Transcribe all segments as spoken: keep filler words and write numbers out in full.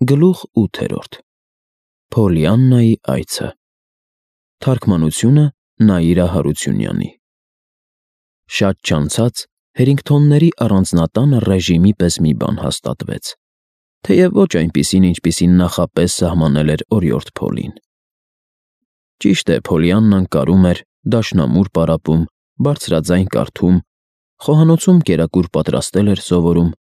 Գլուխ ութերորդ Փոլիաննայի այցը Թարգմանությունը Նաիրա Հարությունյանի Շատ չանցած Հերինգթոնների առանձնատանը ռեժիմի պես մի բան հաստատվեց, թեև ոչ այնպիսին, ինչպիսին նախապես սահմանել էր օրիորդ Փոլին։ Ճիշտ է, Փոլիաննան կարում էր, դաշնամուր պարապում, բարձրաձայն կարդում, խոհանոցում կերակուր պատրաստել էր սովորում,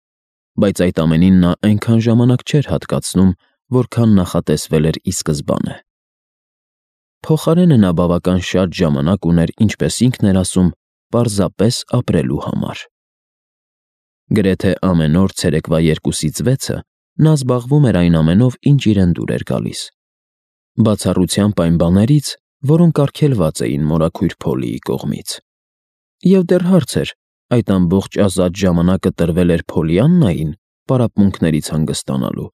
բայց այդ ամենին նա այնքան ժամանակ չէր հատկացնում, որքան նախատեսվել էր ի սկզբանե։ Փոխարենը նա բավական շատ ժամանակ ուներ, ինչպես ինքն էր ասում, պարզապես ապրելու համար։ Գրեթե ամեն օր ցերեկվա երկուսից վեցը նա զբաղվում էր այն ամենով, ինչ իրեն դուր էր գալիս։ Բացառությամբ այն բաներից, որոնք արգելված էին մորաքույր Փոլիի կողմից։ Եվ դեռ հարց էր, այդ ամբողջ ազատ ժամանակը տրվել էր Փոլիաննային պարապմունքներից հանգստանալու,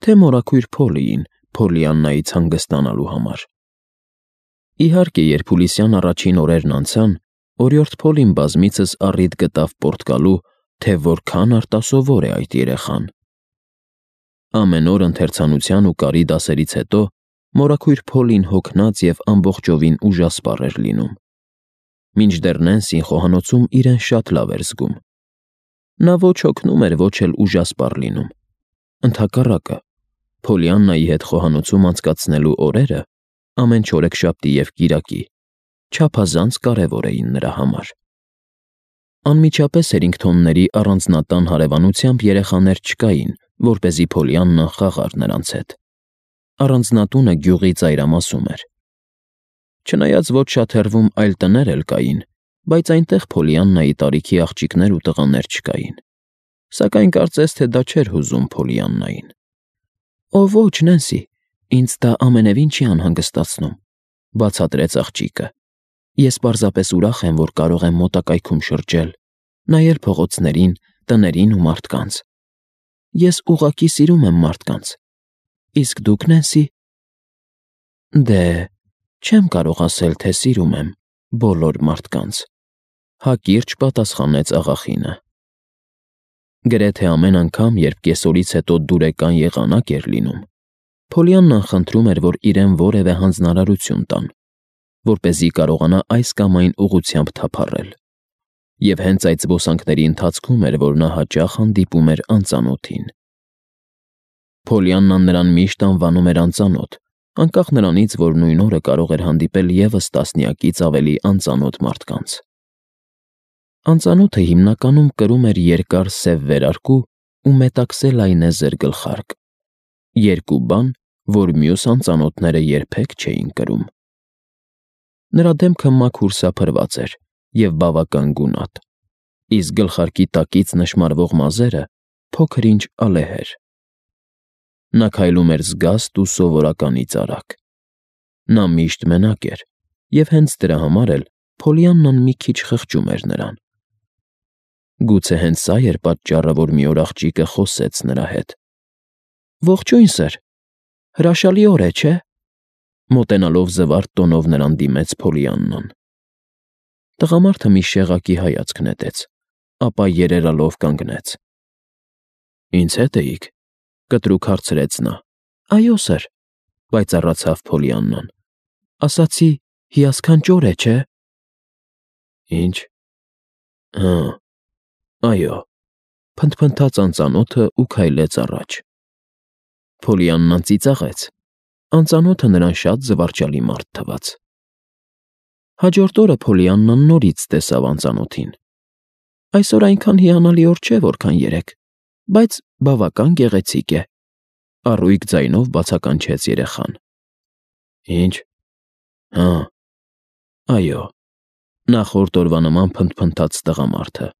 թե մորաքույր Փոլիին Փոլիաննայից հանգստանալու համար։ Իհարկե, երբ հուլիսյան առաջին օրերն անցան, օրիորդ Փոլին բազմիցս առիթ գտավ պոռթկալու, թե որքան արտասովոր է այդ երեխան։ Ամեն օր ընթերցանության ու կարի դասերից հետո մորաքույր Փոլին հոգնած և ամբողջովին ուժասպառ էր լինում։ Մինչդեռ Նենսին խոհանոցում իրեն շատ լավ էր զգում։ Նա ոչ հոգնում էր, ոչ էլ ուժասպառ լինում։ Ընդհակառակը, Փոլիաննայի հետ խոհանոցում անցկացնելու օրերը, ամեն չորեքշաբթի և կիրակի, չափազանց կարևոր էին նրա համար։ Անմիջապես Հերինգթոնների առանձնատան հարևանությամբ երեխաներ չկային, որպեսզի Փոլիաննան խաղար նրանց հետ։ Առանձնատունը գյուղի ծայրամասում էր։ Չնայած ոչ շատ հեռվում այլ տներ էլ կային, բայց այնտեղ Փոլիաննայի տարիքի աղջիկներ ու տղաներ չկային, սակայն կարծես թե դա չէր հուզում Փոլիաննային։ «Օ ոչ, Նենսի, ինձ դա ամենևին չի անհանգստացնում», բացատրեց աղջիկը։ «Ես պարզապես ուրախ եմ, որ կարող եմ մոտակայքում շրջել, նայել փողոցներին, տներին ու մարդկանց։ Ես ուղղակի սիրում եմ մարդկանց։ Իսկ դուք, Նենսի»։ «Դե, չեմ կարող ասել, թե սիրում եմ բոլոր մարդկանց», հակիրճ պատասխանեց աղախինը։ Գրեթե ամեն անգամ, երբ կեսօրից հետո դուրեկան եղանակ էր լինում, Փոլիաննան խնդրում էր, որ իրեն որևէ հանձնարարություն տան, որպեսզի կարողանա այս կամ այն ուղղությամբ թափառել։ Եվ հենց այդ զբոսանքների ընթացքում էր, որ նա հաճախ հանդիպում էր անծանոթին։ Փոլիաննան նրան միշտ անվանում էր անծանոթ, անկախ նրանից, որ նույն օրը կարող էր հանդիպել ևս տասնյակից ավելի անծանոթ մարդկանց։ Անծանոթը հիմնականում կրում էր երկար սև վերարկու ու մետաքսե լայնեզր գլխարկ, երկու բան, որ մյուս անծանոթները երբեք չէին կրում։ Նրա դեմքը մաքուր սափրված էր և բավական գունատ, իսկ գլխարկի տակից նշմարվող մազերը փոքր-ինչ ալեհեր։ Նա քայլում էր զգաստ ու սովորականից արագ։ Նա միշտ մենակ էր, և հենց դրա համար էլ Փոլիաննան մի քիչ խղճում էր նրան։ Գուցե հենց սա էր պատճառը, որ մի օր աղջիկը խոսեց նրա հետ։ «Ողջույն, սըր, հրաշալի օր է, չէ՞», մոտենալով զվարթ տոնով նրան դիմեց Փոլիաննան։ Տղամարդը մի շեղակի հայացք նետեց, ապա երերալով կանգնեց։ «Ինձ հետ էիք», կտրուկ հարցրեց նա։ «Այո, սըր», պայծառացավ Փոլիաննան։ «Ասացի, հիասքանչ օր է, չէ՞»։ «Ինչ, հը, այո», փնթփնթաց անծանոթը ու քայլեց առաջ։ Փոլիաննան ծիծաղեց։ Անծանոթը նրան շատ զվարճալի մարդ թվաց։ Հաջորդ օրը Փոլիաննան նորից տեսավ անծանոթին։ «Այսօր այնքան հիանալի օր չէ, որքան երեկ, բայց բավական գեղեցիկ է», առույգ ձայնով բացականչեց երեխան։ «Ինչ, հը, այո», նախորդ օրվա նման փնթփնթաց տղամարդը,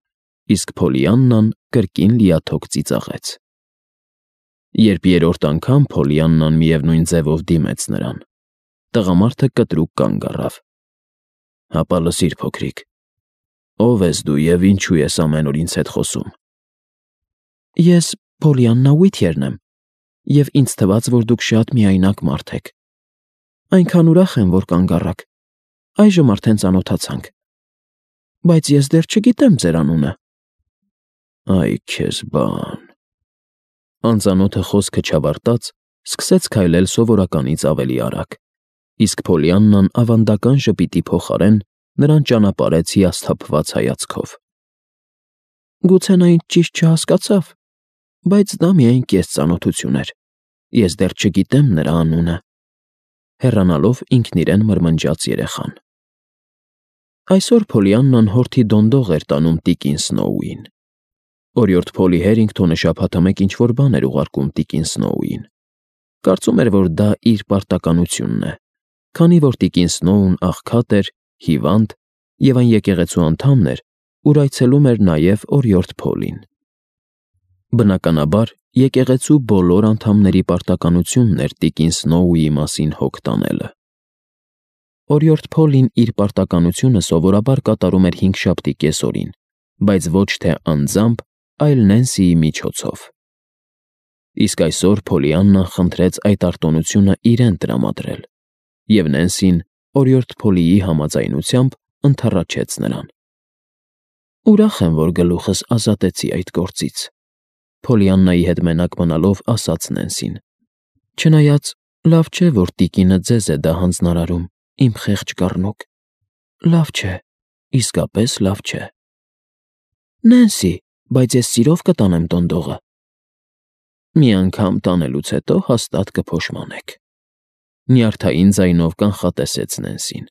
իսկ Փոլիաննան կրկին լիաթոք ծիծաղեց։ Երբ երրորդ անգամ Փոլիաննան միևնույն ձևով դիմեց նրան, տղամարդը կտրուկ կանգ առավ։ «Հապա լսիր, փոքրիկ, ո՞վ ես դու և ինչու ես ամեն օր ինձ հետ խոսում»։ «Ես Փոլիաննա Ուիթյերն եմ, և ինձ թվաց, որ դուք շատ միայնակ մարդ եք։ Այնքան ուրախ եմ, որ կանգ առաք, այժմ արդեն ծանոթացանք։ Բայց ես դեռ չգիտեմ ձեր անունը»։ «Այ քեզ բան»։ Անծանոթը խոսքը չավարտած սկսեց քայլել սովորականից ավելի արագ, իսկ Փոլիաննան ավանդական ժպիտի փոխարեն նրան ճանապարհեց հիասթափված հայացքով։ Գուցե նա ինձ ճիշտ չհասկացավ, բայց դա միայն կես ծանոթություն էր։ Ես դեռ չգիտեմ նրա անունը։ Հեռանալով ինքն իրեն մրմնջաց երեխան։ Այսօր Փոլիաննան հորթի դոնդող էր տանում տիկին Սնոուին։ Օրիորդ Փոլի Հերինգթոնը շաբաթը մեկ ինչ-որ բան էր ուղարկում տիկին Սնոուին։ Կարծում էր, որ դա իր պարտականությունն է, քանի որ տիկին Սնոուն աղքատ էր, հիվանդ և այն եկեղեցու անդամն էր, ուր այցելում էր նաև օրիորդ Փոլին։ Բնականաբար, եկեղեցու բոլոր անդամների պարտականությունն էր տիկին Սնոուի մասին հոգ տանելը։ Օրիորդ Փոլին իր պարտականությունը սովորաբար կատարում էր հինգշաբթի կեսօրին, բայց ոչ թե անձամբ, այլ Նենսիի միջոցով։ Իսկ այսօր Փոլիաննան խնդրեց այդ արտոնությունը իրեն տրամադրել, և Նենսին, օրիորդ Փոլիի համաձայնությամբ, ընդառաջեց նրան։ Ուրախ եմ, որ գլուխս ազատեցի այդ գործից, Փոլիաննայի հետ մենակ մնալով ասաց Նենսին։ Չնայած լավ չէ, որ տիկինը ձեզ է դա հանձնարարում, իմ խեղճ կառնուկ։ Լավ չէ, իսկապես լավ չէ։ Նենսի, բայց ես սիրով կտանեմ դոնդողը։ Մի անգամ տանելուց հետո հաստատ կփոշմանեք։ Նյարդային ձայնով կանխատեսեց Նենսին։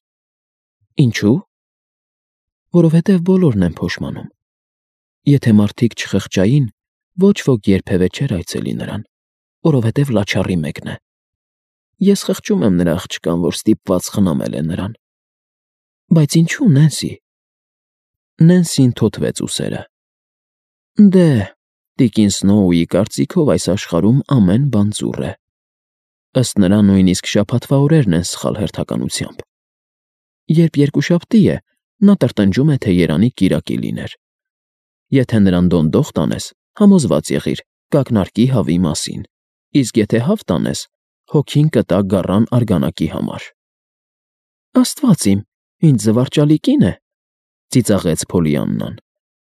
Ինչու՞։ Որովհետև բոլորն են փոշմանում։ Եթե մարդիկ չխղճային, ոչ ոք երբևէ չէր այցելի նրան, որովհետև լաչառի մեկն է։ Ես խղճում եմ նրա աղջկան, որ ստիպված խնամել է նրան։ Բայց ինչու, Նենսի։ Նենսին թոթվեց ուսերը։ Դե, տիկին Սնոուի կարծիքով այս աշխարհում ամեն բան ծուռ է։ Ըստ նրա նույնիսկ շաբաթվա օրերն են սխալ հերթականությամբ։ Երբ երկուշաբթի է, նա տրտնջում է, թե երանի կիրակի լիներ։ Եթե նրան դոնդող տանես, համոզված եղիր, կակնարկի հավի մասին, իսկ եթե հավ տանես, հոգին կտա գառան արգանակի համար։ Աստված իմ, ինչ զվարճալի կին է, ծիծաղեց Փոլիաննան։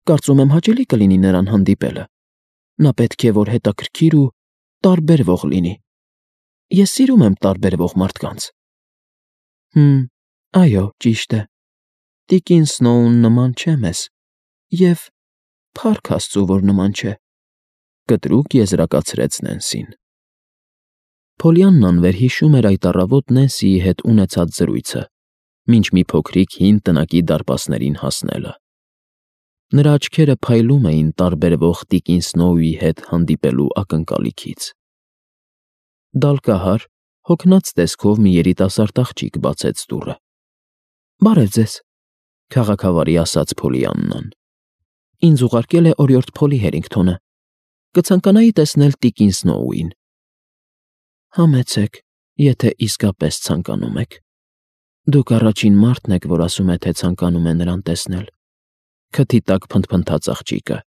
Կարծում եմ հաճելի կլինի նրան հանդիպելը։ Նա պետք է որ հետաքրքիր ու տարբերվող լինի։ Ես սիրում եմ տարբերվող մարդկանց։ Հմ, այո, ճիշտ է։ Տիկին Սնոուն նման չէ մեզ, և փառք Աստծու, որ նման չէ, կտրուկ եզրակացրեց Նենսին։ Փոլիաննան վերհիշում էր այդ առավոտ Նենսիի հետ ունեցած զրույցը, մինչ մի փոքրիկ հին տնակի դարպասներին հասնելը։ Նրա աչքերը փայլում էին տարբերվող տիկին Սնոուի հետ հանդիպելու ակնկալիքից։ Դալկահար, հոգնած տեսքով մի երիտասարդ աղջիկ բացեց դուռը։ Բարև ձեզ, քաղաքավարի ասաց Փոլիաննան։ Ինձ ուղարկել է օրիորդ Փոլի Հերինգթոնը։ Կցանկանայի տեսնել տիկին Սնոուին։ Համեցեք, եթե իսկապես ցանկանում եք։ Դուք առաջին մարդն եք, որ ասում է, թե ցանկանում է նրան տեսնել։ Քթի տակ փնթփնթաց աղջիկը,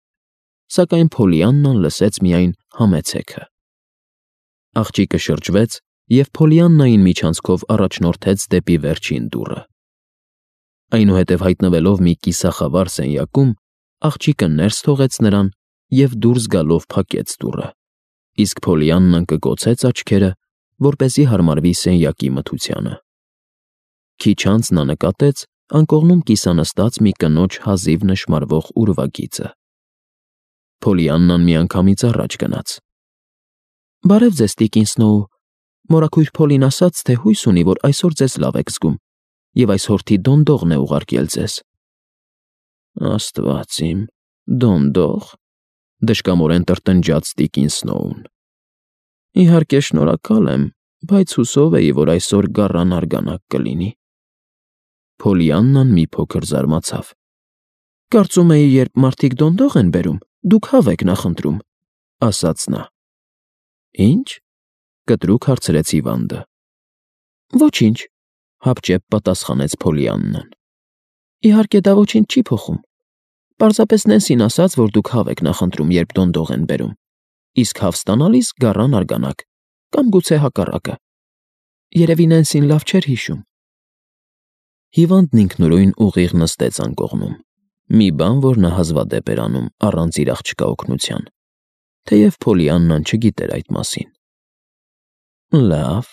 սակայն Փոլիաննան լսեց միայն համեցեքը։ Աղջիկը շրջվեց և Փոլիաննային միջանցքով առաջնորդեց դեպի վերջին դուռը։ Այնուհետև հայտնվելով մի կիսախավար սենյակում, աղջիկը ներս թողեց նրան և դուրս գալով փակեց դուռը, իսկ Փոլիաննան կկոցեց աչքերը, որպեսզի հարմարվի սենյակի մթությանը։ Քիչ անց նա նկատեց անկողնում կիսանստած մի կնոջ հազիվ նշմարվող ուրվագիծը։ Փոլիաննան միանգամից առաջ գնաց։ Բարև ձեզ, տիկին Սնոու, մորաքույր Փոլին ասաց, թե հույս ունի, որ այսօր ձեզ լավ եք զգում, և այս հորթի դոնդողն է ուղարկել ձեզ։ Աստված իմ, դոնդող, դժկամորեն տրտնջաց տիկին Սնոուն։ Իհարկե շնորհակալ եմ, բայց հուսով էի, որ այսօր գառան արգանակ կլինի։ Փոլիաննան մի փոքր զարմացավ։ Կարծում էի, երբ մարդիկ դոնդող են բերում, դուք հավ եք նախընտրում, ասաց նա։ Ինչ։ Կտրուկ հարցրեց հիվանդը։ Ոչինչ, հապճեպ պատասխանեց Փոլիաննան։ Իհարկե դա ոչինչ չի փոխում։ Պարզապես Նենսին ասաց, որ դուք հավ եք նախընտրում, երբ դոնդող են բերում, իսկ հավ ստանալիս գառան արգանակ, կամ գուցե հակառակը։ Երևի Նենսին լավ չէր հիշում։ Հիվանդն ինքնուրույն ուղիղ նստեց անկողնում, մի բան, որ նա հազվադեպ էր անում առանց իր աղջկա օգնության, թեև Փոլիաննան չգիտեր այդ մասին։ Լավ,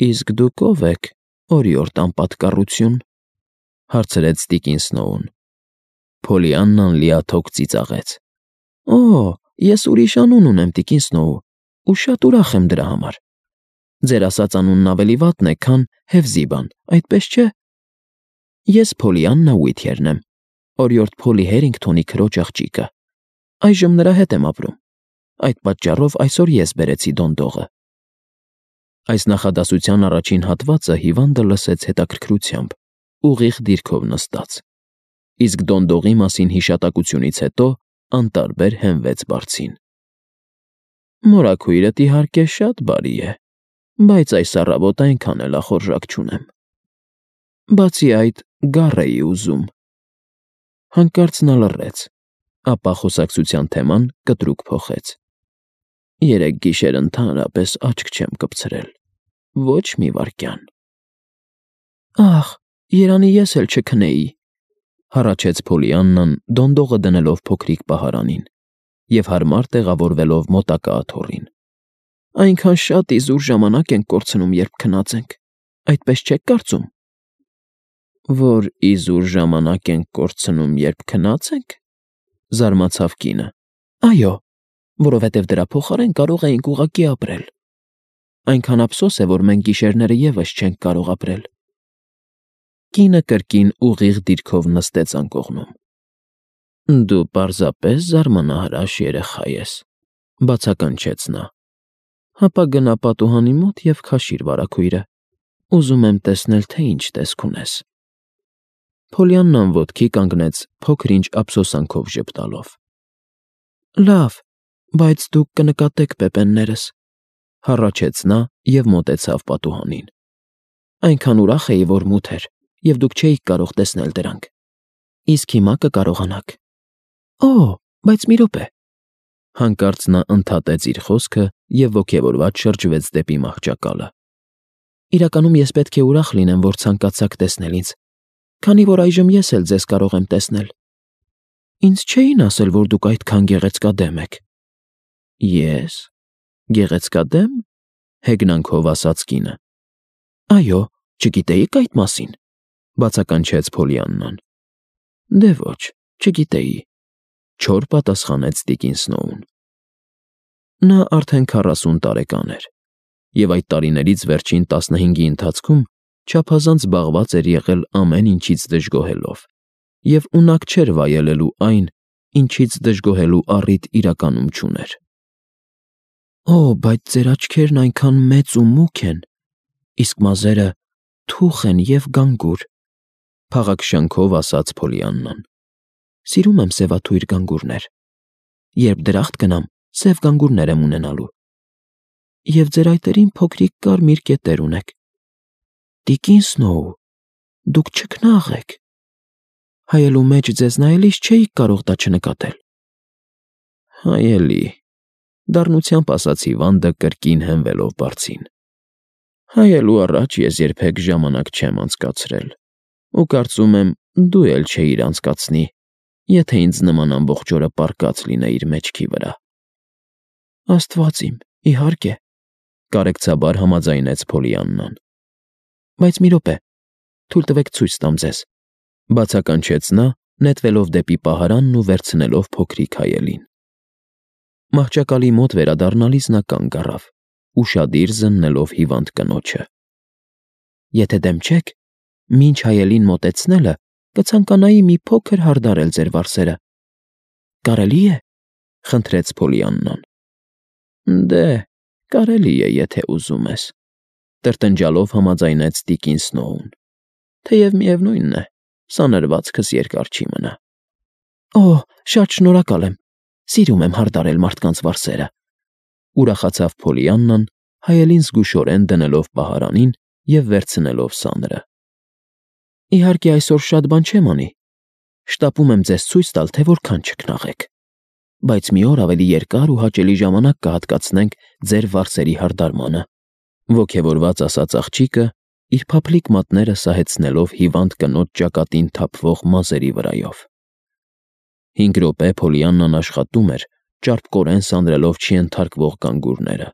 իսկ դուք ով եք, օրիորդ անպատկառություն, հարցրեց տիկին Սնոուն։ Փոլիաննան լիաթոք ծիծաղեց։ Օ, ես ուրիշ անուն ունեմ, տիկին Սնոու, ու շատ ուրախ եմ դրա համար։ Ձեր ասած անունն ավելի վատն է, քան Հևզիբան, այդպես չէ։ Ես Փոլիաննա Ուիթյերն եմ, օրիորդ Փոլի Հերինգթոնի քրոջ աղջիկը։ Այժմ նրա հետ եմ ապրում։ Այդ պատճառով այսօր ես բերեցի դոնդողը։ Այս նախադասության առաջին հատվածը հիվանդը լսեց հետաքրքրությամբ, ուղիղ դիրքով նստած, իսկ դոնդողի մասին հիշատակությունից հետո անտարբեր հենվեց բարձին։ Մորաքույրդ իհարկե շատ բարի է, բայց այս առավոտ այնքան էլ ախորժակ չունեմ։ Բացի այդ, գառ էի ուզում։ Հանկարծ նա լռեց, ապա խոսակցության թեման կտրուկ փոխեց։ Երեք գիշեր ընդհանրապես աչք չեմ կպցրել, ոչ մի վայրկյան։ Ախ, երանի ես էլ չքնեի, հառաչեց Փոլիաննան, դոնդողը դնելով փոքրիկ պահարանին և հարմար տեղավորվելով մոտակա աթոռին։ Այնքան շատ իզուր ժամանակ ենք կորցնում, երբ քնած ենք, այդպես չեք կարծում։ Որ իզուր ժամանակ ենք կորցնում, երբ քնած ենք, զարմացավ կինը։ Այո, որովհետև դրա փոխարեն կարող էինք ուղղակի ապրել։ Այնքան ափսոս է, որ մենք գիշերները ևս չենք կարող ապրել։ Կինը կրկին ուղիղ դիրքով նստեց անկողնում։ Դու պարզապես զարմանահրաշ երեխա ես, բացականչեց նա։ Հապա գնա պատուհանի մոտ և քաշիր վարագույրը։ Ուզում եմ տեսնել, թե ինչ տեսք ունես։ Փոլիաննան ոտքի կանգնեց, փոքր-ինչ ափսոսանքով ժպտալով։ Լավ, բայց դուք կնկատեք պեպեններս, հառաչեց նա և մոտեցավ պատուհանին։ Այնքան ուրախ էի, որ մութ էր, և դուք չէիք կարող տեսնել դրանք։ Իսկ հիմա կկարողանաք։ Օ, բայց մի րոպե։ Հանկարծ նա ընդհատեց իր խոսքը և ոգևորված շրջվեց դեպի մահճակալը։ Իրականում ես պետք է ուրախ լինեմ, որ ցանկացաք տեսնել ինձ, քանի որ այժմ ես էլ ձեզ կարող եմ տեսնել։ Ինձ չէին ասել, որ դուք այդքան գեղեցկադեմ եք։ Ես… Գեղեցկադե՞մ, հեգնանքով ասաց կինը։ Այո, չգիտեիք այդ մասին, բացականչեց Փոլիաննան։ Դե ոչ, չգիտեի, չոր պատասխանեց տիկին Սնոուն։ Նա արդեն քառասուն տարեկան էր, և այդ տարիներից վերջին տասնհինգի ընթացքում չափազանց զբաղված էր եղել ամեն ինչից դժգոհելով և ունակ չէր վայելելու այն, ինչից դժգոհելու առիթ իրականում չուներ։ Օ, բայց ձեր աչքերն այնքան մեծ ու մուգ են, իսկ մազերը թուխ են և գանգուր, փաղաքշանքով ասաց Փոլիաննան։ Սիրում եմ սևաթույր գանգուրներ։ Երբ դրախտ գնամ, սև գանգուրներ եմ ունենալու։ Եվ ձեր այտերին փոքրիկ կարմիր կետեր ունեք։ Տիկին Սնոու, դուք չքնաղ եք։ Հայելու մեջ ձեզ նայելիս չէիք կարող դա չնկատել։ Հայելի, դառնությամբ ասաց հիվանդը կրկին հենվելով բարձին։ Հայելու առաջ ես երբեք ժամանակ չեմ անցկացրել, ու կարծում եմ, դու էլ չէիր անցկացնի, եթե ինձ նման ամբողջ օրը պառկած լինեիր մեջքի վրա։ Աստված իմ, իհարկե, կարեկցաբար համաձայնեց Փոլիաննան։ Բայց մի րոպե, թույլ տվեք ցույց տամ ձեզ, բացականչեց նա, նետվելով դեպի պահարանն ու վերցնելով փոքրիկ հայելին։ Մահճակալի մոտ վերադառնալիս նա կանգ առավ, ուշադիր զննելով հիվանդ կնոջը։ Եթե դեմ չեք, մինչ հայելին մոտեցնելը կցանկանայի մի փոքր հարդարել ձեր վարսերը։ Կարելի է, խնդրեց Փոլիաննան։ Դե, կարելի է, եթե ուզում ես, տրտնջալով համաձայնեց տիկին Սնոուն, թեև միևնույնն է, սանրվածքս երկար չի մնա։ Օ, շատ շնորհակալ եմ, սիրում եմ հարդարել մարդկանց վարսերը, ուրախացավ Փոլիաննան, հայելին զգուշորեն դնելով պահարանին և վերցնելով սանրը։ Իհարկե այսօր շատ բան չեմ անի, շտապում եմ ձեզ ցույց տալ, թե որքան չքնաղ եք, բայց մի օր ավելի երկար ու հաճելի ժամանակ կհատկացնենք ձեր վարսերի հարդարմանը, ոգևորված ասաց աղջիկը, իր փափլիկ մատները սահեցնելով հիվանդ կնոջ ճակատին թափվող մազերի վրայով։ Հինգ րոպե Փոլիաննան աշխատում էր, ճարպկորեն սանրելով չենթարկվող գանգուրները։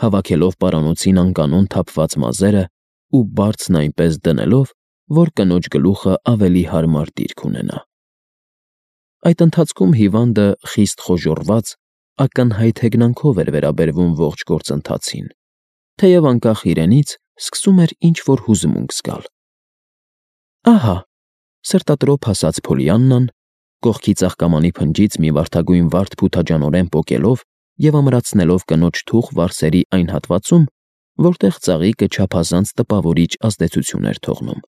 հավաքելով պարանոցին անկանոն թափված մազերը ու բարձն այնպես դնելով, որ կնոջ գլուխը ավելի հարմար դիրք ունենա։ Այդ ընթացքում հիվանդը խիստ խոժոռված, ակնհայտ հեգնանքով էր վերաբերվում ողջ գործընթացին, թեև անկախ իրենից սկսում էր ինչ-որ հուզմունք զգալ։ Ահա, սրտատրոփ ասաց Փոլիաննան, կողքի ծաղկամանի փնջից մի վարդագույն վարդ փութաջանորեն պոկելով և ամրացնելով կնոջ թուխ վարսերի այն հատվածում, որտեղ ծաղիկը չափազանց տպավորիչ ազդեցություն էր թողնում։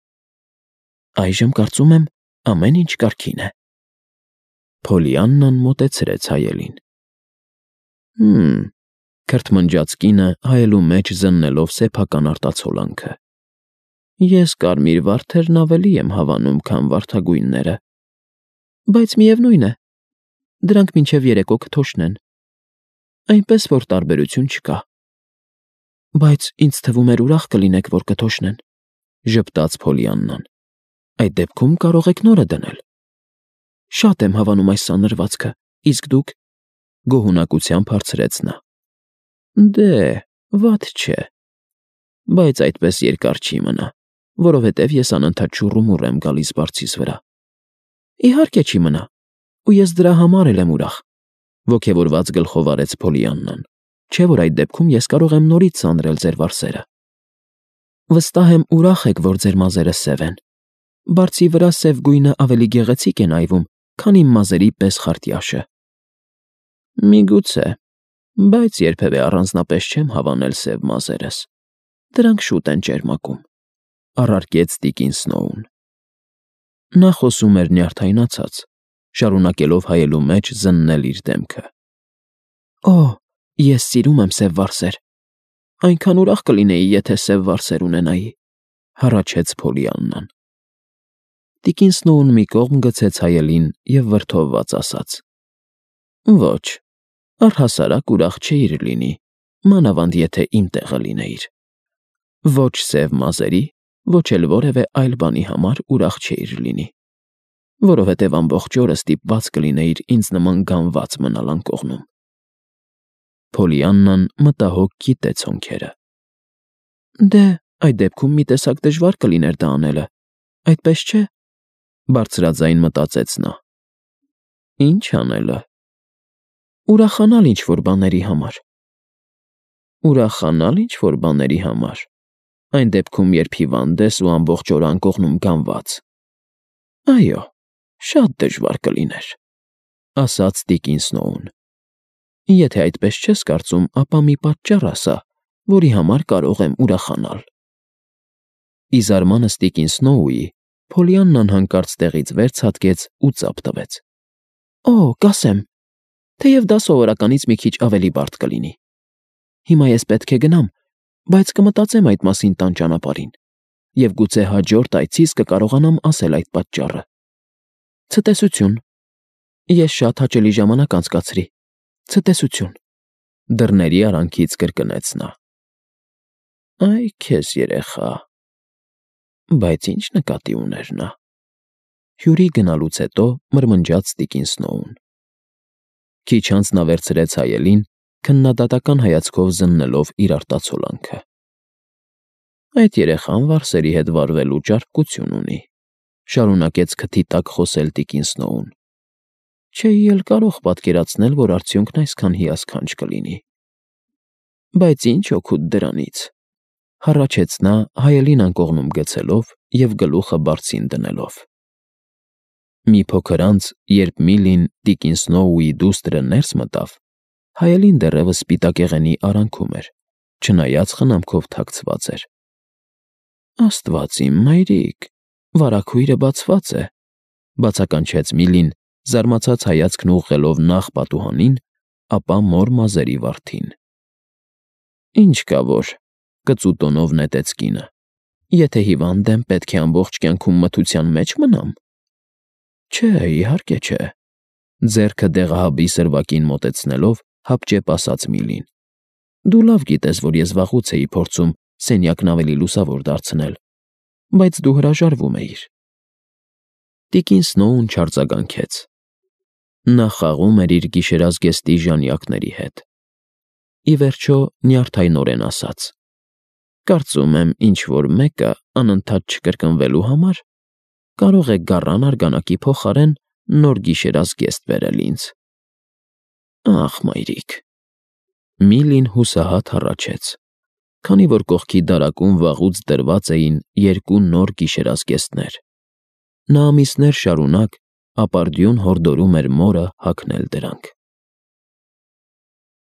Այժմ կարծում եմ, ամեն ինչ կարգին է։ Փոլիաննան մոտեցրեց հայելին։ Հմ, քրթմնջաց կինը հայելու մեջ զննելով սեփական արտացոլանքը։ Ես կարմիր վարդերն ավելի եմ հավանում, քան վարդագույնները, բայց միևնույն է, դրանք մինչև երեկո կթոշնեն, այնպես որ տարբերություն չկա։ Բայց ինձ թվում էր ուրախ կլինեք, որ կթոշնեն, ժպտաց Փոլիաննան։ Այդ դեպքում կարող եք նորը դնել։ Շատ եմ հավանում այս սանրվածքը, իսկ դուք, գոհունակությամբ հարցրեց նա։ Դե, վատ չէ, բայց այդպես երկար չի մնա, որովհետև ես անընդհատ շուռումուռ եմ գալիս բարձիս վրա։ Իհարկե չի մնա, ու ես դրա համար էլ եմ ուրախ, ոգևորված գլխով արեց Փոլիաննան, չէ՞ որ այդ դեպքում ես կարող եմ նորից սանրել ձեր վարսերը։ Վստահ եմ ուրախ եք, որ ձեր մազերը սև են։ Բարձի վրա սև գույնը ավելի գեղեցիկ է նայվում, քան իմ մազերի պես խարտյաշը։ Միգուցե, բայց երբևէ առանձնապես չեմ հավանել սև մազերս։ Դրանք շուտ են ճերմակում, առարկեց տիկին Սնոուն։ Նա խոսում էր նյարդայնացած, շարունակելով հայելու մեջ զննել իր դեմքը։ Օ, ես սիրում եմ սև վարսեր։ Այնքան ուրախ կլինեի, եթե սև վարսեր ունենայի, հառաչեց Փոլիաննան։ Տիկին Սնոուն մի կողմ գցեց հայելին և վրդովված ասաց. Ոչ, առհասարակ ուրախ չէիր լինի, մանավանդ եթե իմ տեղը լինեիր։ Ոչ սև մազերի, ոչ էլ որևէ այլ բանի համար ուրախ չէիր լինի, որովհետև ամբողջ օրը ստիպված կլինեիր ինձ նման գանված մնալ անկողնում։ Փոլիաննան մտահոգ կիտեց հոնքերը։ Դե, այդ դեպքում մի տեսակ դժվար կլիներ դա անելը, այդպես չէ՞, բարձրաձայն մտածեց նա։ Ինչ անելը։ Ուրախանալ ինչ-որ բաների համար։ Ուրախանալ ինչ-որ բաների համար։ Այն դեպքում, երբ հիվանդ ես ու ամբողջ օրը անկողնում գանված։ Այո, շատ դժվար կլիներ, ասաց տիկին Սնոուն։ Եթե այդպես չես կարծում, ապա մի պատճառ ասա, որի համար կարող եմ ուրախանալ։ Ի զարմանս տիկին Սնոուի, Փոլիաննան հանկարծ տեղից վեր ցատկեց ու ծափ տվեց։ Օ, կասեմ, թեև դա սովորականից մի քիչ ավելի բարդ կլինի։ Հիմա ես պետք է գնամ, բայց կմտածեմ այդ մասին տան ճանապարհին, և գուցե հաջորդ այցիս կկարողանամ ասել այդ պատճառը։ Ցտեսություն։ Ես շատ հաճելի ժամանակ անցկացրի։ Ցտեսություն։ Դռների արանքից կրկնեց նա։ Այ քեզ երեխա։ Բայց ինչ նկատի ուներ նա։ Հյուրի գնալուց հետո մրմնջաց տիկին Սնոուն։ Քիչ անց նա վերցրեց հայելին, քննադատական հայացքով զննելով իր արտացոլանքը։ Այդ երեխան վարսերի հետ վարվելու ճարպկություն ունի, շարունակեց քթի տակ խոսել տիկին Սնոուն։ Չէի էլ կարող պատկերացնել, որ արդյունքն այսքան հիասքանչ կլինի։ Բայց ինչ օգուտ դրանից, հառաչեց նա հայելին անկողնում գցելով և գլուխը բարձին դնելով։ Մի փոքր անց, երբ Միլին տիկին Սնոուի դուստրը ներս մտավ, հայելին դեռևս սպիտակեղենի արանքում էր, չնայած խնամքով թաքցված էր։ Աստված իմ, մայրիկ, վարագույրը բացված է, բացականչեց Միլին, զարմացած հայացքն ուղղելով նախ պատուհանին, ապա մոր մազերի վարդին։ Ինչ կա որ, կծու տոնով նետեց կինը։ Եթե հիվանդ եմ, պետք է ամբողջ կյանքում մթության մեջ մնամ։ Չէ, իհարկե չէ, ձեռքը դեղահաբի սրվակին մոտեցնելով, հապճեպ ասաց Միլին։ Դու լավ գիտես, որ ես վաղուց էի փորձում սենյակն ավելի լուսավոր դարձնել, բայց դու հրաժարվում էիր։ Տիկին Սնոուն չարձագանքեց։ Նա խաղում էր իր գիշերազգեստի ժանյակների հետ։ ի վերջո նյարդայնորեն ասաց. «Կարծում եմ, ինչ֊որ մեկը անընդհատ չկրկնվելու համար կարող է գառան արգանակի փոխարեն նոր գիշերազգեստ բերել ինձ»։ Ախ, մայրիկ… Միլին հուսահատ հառաչեց, քանի որ կողքի դարակում վաղուց դրված էին երկու նոր գիշերազգեստներ։ Նա ամիսներ շարունակ ապարդյուն հորդորում էր մորը հագնել դրանք։